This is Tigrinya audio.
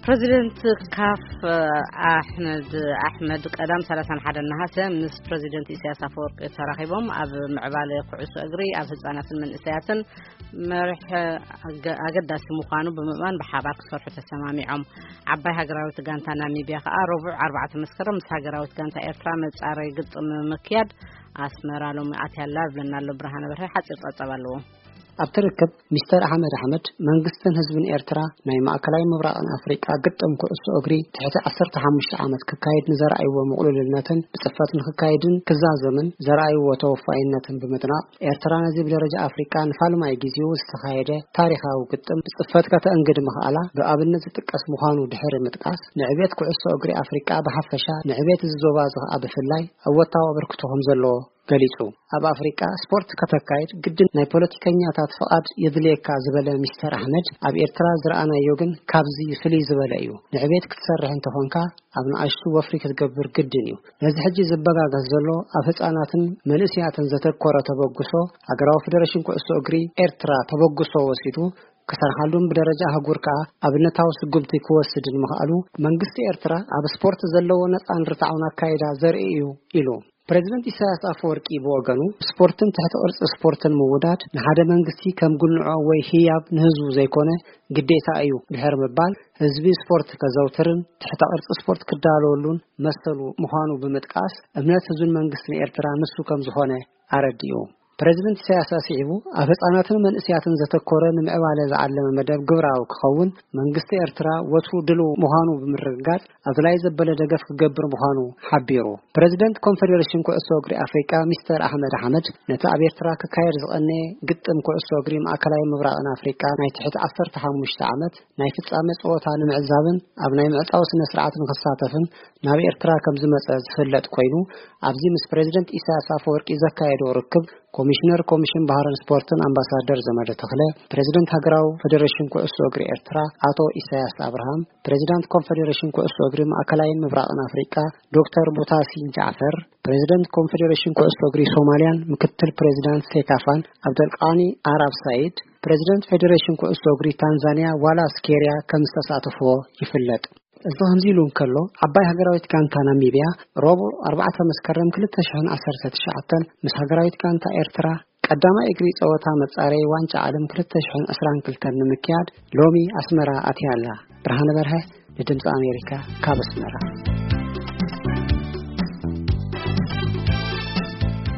ፕሬዚደንት ካፍ ኣሕመድ ኣሕመድ ቀዳም ሰላሳን ሓደን ነሃሰ ምስ ፕሬዚደንት ኢሳያስ ኣፈወርቂ ተራኺቦም ኣብ ምዕባለ ኩዕሶ እግሪ ኣብ ህፃናትን መንእሰያትን መርሕ ኣገ- ኣገዳሲ ምዃኑ ብምእማን ብሓባር ክሰርሑ ተሰማሚዖም። ዓባይ ሃገራዊት ጋንታ ናሚቢያ ከዓ ረቡዕ ኣርባዕተ መስከረም ምስ ሃገራዊት ጋንታ ኤርትራ መጻረይ ግጥም ምክያድ ኣስመራ ሎሚ ኣትያላ ብለና ኣሎ። ብርሃነ በርሀ ሓፂር ፀብፀብ ኣለዎ። ኣብቲ ርክብ ሚስተር ኣሕመድ ኣሕመድ መንግስትን ህዝብን ኤርትራ ናይ ማእከላይ ምብራቕን ኣፍሪቃ ግጥም ኩዕሶ እግሪ ትሕቲ ዓሰርተ ሓሙሽተ ዓመት ክካየድ ንዘርኣይዎ ምቕሉልነትን ብጽፈት ንክካየድን ክዛዘምን ዘርኣይዎ ተወፋይነትን ብምድናቕ፣ ኤርትራ ነዚ ብደረጃ ኣፍሪቃ ንፋልማይ ግዜኡ ዝተኻየደ ታሪኻዊ ግጥም ብጽፈት ከተእንግድ ምኽኣላ ብኣብነት ዝጥቀስ ምዃኑ ድሕሪ ምጥቃስ፣ ንዕቤት ኩዕሶ እግሪ ኣፍሪቃ ብሓፈሻ ንዕቤት እዚ ዞባ እዚ ኸኣ ብፍላይ እወታዊ ኣበርክቶ ከም ዘለዎ ገሊጹ። ኣብ ኣፍሪቃ ስፖርት ከተካይድ ግድን ናይ ፖለቲከኛታት ፍቓድ የድልየካ ዝበለ ሚስተር ኣሕመድ፣ ኣብ ኤርትራ ዝረኣናዮ ግን ካብዚ ፍልይ ዝበለ እዩ። ንዕቤት ክትሰርሕ እንተኾንካ ኣብ ንኣሽቱ ወፍሪ ክትገብር ግድን እዩ። ነዚ ሕጂ ዝበጋገስ ዘሎ ኣብ ህፃናትን መንእስያትን ዘተኮረ ተበግሶ ሃገራዊ ፌደሬሽን ኩዕሶ እግሪ ኤርትራ ተበግሶ ወሲዱ ክሰርሓሉን ብደረጃ ኣህጉር ከኣ ኣብነታዊ ስጉምቲ ክወስድን ምኽኣሉ መንግስቲ ኤርትራ ኣብ ስፖርት ዘለዎ ነፃን ርትዓውን ኣካይዳ ዘርኢ እዩ ኢሉ። ፕሬዚደንት ኢሳያስ ኣፈወርቂ ብወገኑ ስፖርትን ትሕቲ ቅርጺ ስፖርትን ምውዳድ ንሓደ መንግስቲ ከም ጉንዖ ወይ ህያብ ንህዝቡ ዘይኮነ ግዴታ እዩ ድሕሪ ምባል፣ ህዝቢ ስፖርት ከዘውትርን ትሕተ ቅርጺ ስፖርት ክዳለወሉን መሰሉ ምዃኑ ብምጥቃስ፣ እምነት ህዝብን መንግስትን ኤርትራ ንሱ ከም ዝኾነ ኣረዲኡ። ፕሬዚደንት ኢሳያስ ኣስዒቡ፣ ኣብ ህጻናትን መንእስያትን ዘተኮረ ንምዕባለ ዝዓለመ መደብ ግብራዊ ክኸውን መንግስቲ ኤርትራ ወትሩ ድልው ምዃኑ ብምርግጋጽ፣ ኣድላይ ዘበለ ደገፍ ክገብር ምዃኑ ሓቢሩ። ፕሬዚደንት ኮንፌዴሬሽን ኩዕሶ እግሪ ኣፍሪቃ ሚስተር ኣሕመድ ኣሕመድ፣ ነቲ ኣብ ኤርትራ ክካየድ ዝቐነየ ግጥም ኩዕሶ እግሪ ማእከላይ ምብራቕን ኣፍሪቃ ናይ ትሕቲ ዓሰርተ ሓሙሽተ ዓመት ናይ ፍጻመ ጸወታ ንምዕዛብን ኣብ ናይ ምዕጻው ስነ ስርዓት ንክሳተፍን ናብ ኤርትራ ከም ዝመጸ ዝፍለጥ ኮይኑ፣ ኣብዚ ምስ ፕሬዚደንት ኢሳያስ ኣፈወርቂ ዘካየዶ ርክብ ኮሚሽነር ኮሚሽን ባህርን ስፖርትን ኣምባሳደር ዘመደ ተኽለ፣ ፕሬዚደንት ሃገራዊ ፌዴሬሽን ኩዕሶ እግሪ ኤርትራ ኣቶ ኢሳያስ ኣብርሃም፣ ፕሬዚዳንት ኮንፌዴሬሽን ኩዕሶ እግሪ ማእከላይን ምብራቕን ኣፍሪቃ ዶክተር ቡታሲን ጃዕፈር፣ ፕሬዚደንት ኮንፌዴሬሽን ኩዕሶ እግሪ ሶማልያን ምክትል ፕሬዚዳንት ሴካፋን፣ ኣብደልቃኒ ኣራብ ሳይድ፣ ፕሬዚደንት ፌዴሬሽን ኩዕሶ እግሪ ታንዛንያ ዋላስ ኬርያ ከም ዝተሳተፍዎ ይፍለጥ። እዚ ከምዚ ኢሉ እንከሎ፣ ዓባይ ሃገራዊት ጋንታ ናሚብያ ረቡዕ ኣርባዕተ መስከረም ክልተ ሽሕን ዓሰርተ ትሽዓተን ምስ ሃገራዊት ጋንታ ኤርትራ ቀዳማይ እግሪ ጸወታ መጻረዪ ዋንጫ ዓለም ክልተ ሽሕን ዕስራን ክልተን ንምክያድ ሎሚ ኣስመራ ኣትያ ኣላ። ብርሃነ በርሀ ንድምጺ ኣሜሪካ ካብ ኣስመራ።